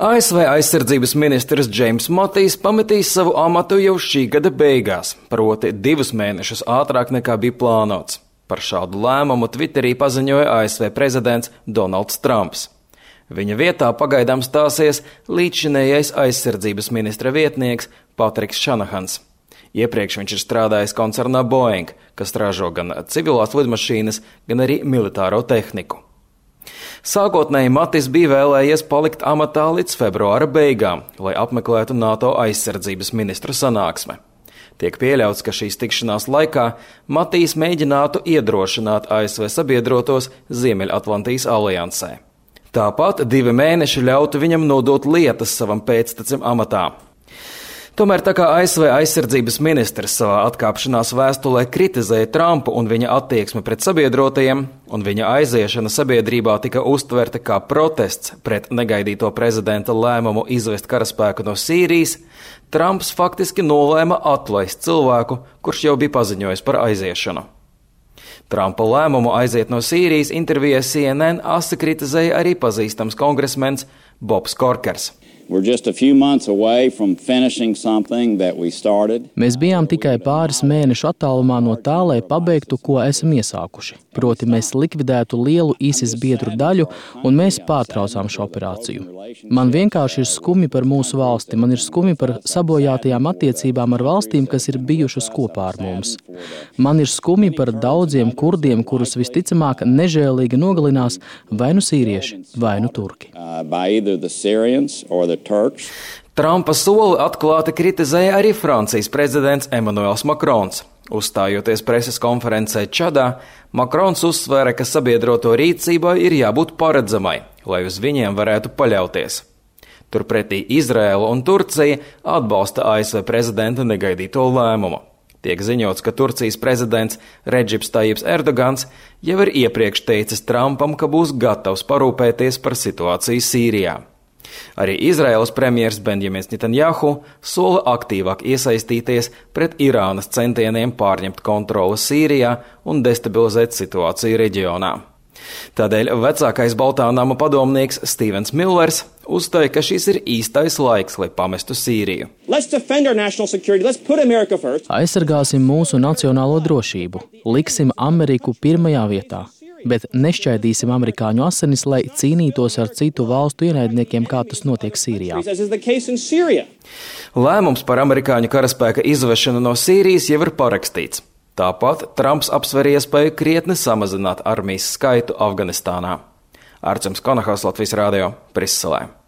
ASV aizsardzības ministrs Džeims Matijs pametīs savu amatu jau šī gada beigās, proti 2 mēnešus ātrāk nekā bija plānots. Par šādu lēmumu Twitterī paziņoja ASV prezidents Donalds Trumps. Viņa vietā pagaidām stāsies līdzšinējais aizsardzības ministra vietnieks Patriks Šanahans. Iepriekš viņš ir strādājis koncernā Boeing, kas ražo gan civilās lidmašīnas, gan arī militāro tehniku. Sākotnēji Matis bija vēlējies palikt amatā līdz februāra beigām, lai apmeklētu NATO aizsardzības ministru sanāksme. Tiek pieļauts, ka šīs tikšanās laikā Matijs mēģinātu iedrošināt ASV sabiedrotos Ziemeļatlantijas aliansē. Tāpat 2 mēneši ļautu viņam nodot lietas savam pēctecim amatā. Tomēr tā kā ASV aizsardzības ministrs savā atkāpšanās vēstulē kritizēja Trumpu un viņa attieksmi pret sabiedrotajiem, un viņa aiziešana sabiedrībā tika uztverta kā protests pret negaidīto prezidenta lēmumu izvest karaspēku no Sīrijas, Trumps faktiski nolēma atlaist cilvēku, kurš jau bija paziņojis par aiziešanu. Trumpa lēmumu aiziet no Sīrijas intervijā CNN asi kritizēja arī pazīstams kongresmens Bobs Korkers. Mēs bijām tikai pāris mēnešu attālumā no tā, lai pabeigtu, ko esam iesākuši. Proti, mēs likvidētu lielu ISIS biedru daļu, un mēs pārtraucām šo operāciju. Man vienkārši ir skumji par mūsu valsti, man ir skumji par sabojātajām attiecībām ar valstīm, kas ir bijušas kopā ar mums. Man ir skumji par daudziem kurdiem, kurus visticamāk nežēlīgi nogalinās vai nu sīrieši, vai nu turki. Trumpa soli atklāti kritizēja arī Francijas prezidents Emmanuels Macrons. Uzstājoties preses konferencē Čadā, Macrons uzsvēra, ka sabiedroto rīcībai ir jābūt paredzamai, lai uz viņiem varētu paļauties. Turpretī Izraēla un Turcija atbalsta ASV prezidenta negaidīto lēmumu. Tiek ziņots, ka Turcijas prezidents Redžips Tajips Erdogans jau ir iepriekš teicis Trumpam, ka būs gatavs parūpēties par situāciju Sīrijā. Arī Izraēlas premjers Benjamins Netanjahu sola aktīvāk iesaistīties pret Irānas centieniem pārņemt kontroli Sīrijā un destabilizēt situāciju reģionā. Tādēļ vecākais Baltā nama padomnieks Stevens Millers uzstāja, ka šis ir īstais laiks, lai pamestu Sīriju. Aizsargāsim mūsu nacionālo drošību, liksim Ameriku pirmajā vietā. Bet nešķaidīsim amerikāņu asinis, lai cīnītos ar citu valstu ienaidniekiem, kā tas notiek Sīrijā. Lēmums par amerikāņu karaspēka izvešanu no Sīrijas jau ir parakstīts. Tāpat Trumps apsver iespēju krietni samazināt armijas skaitu Afganistānā. Arčuns Konahals, Latvijas radio, Briselē.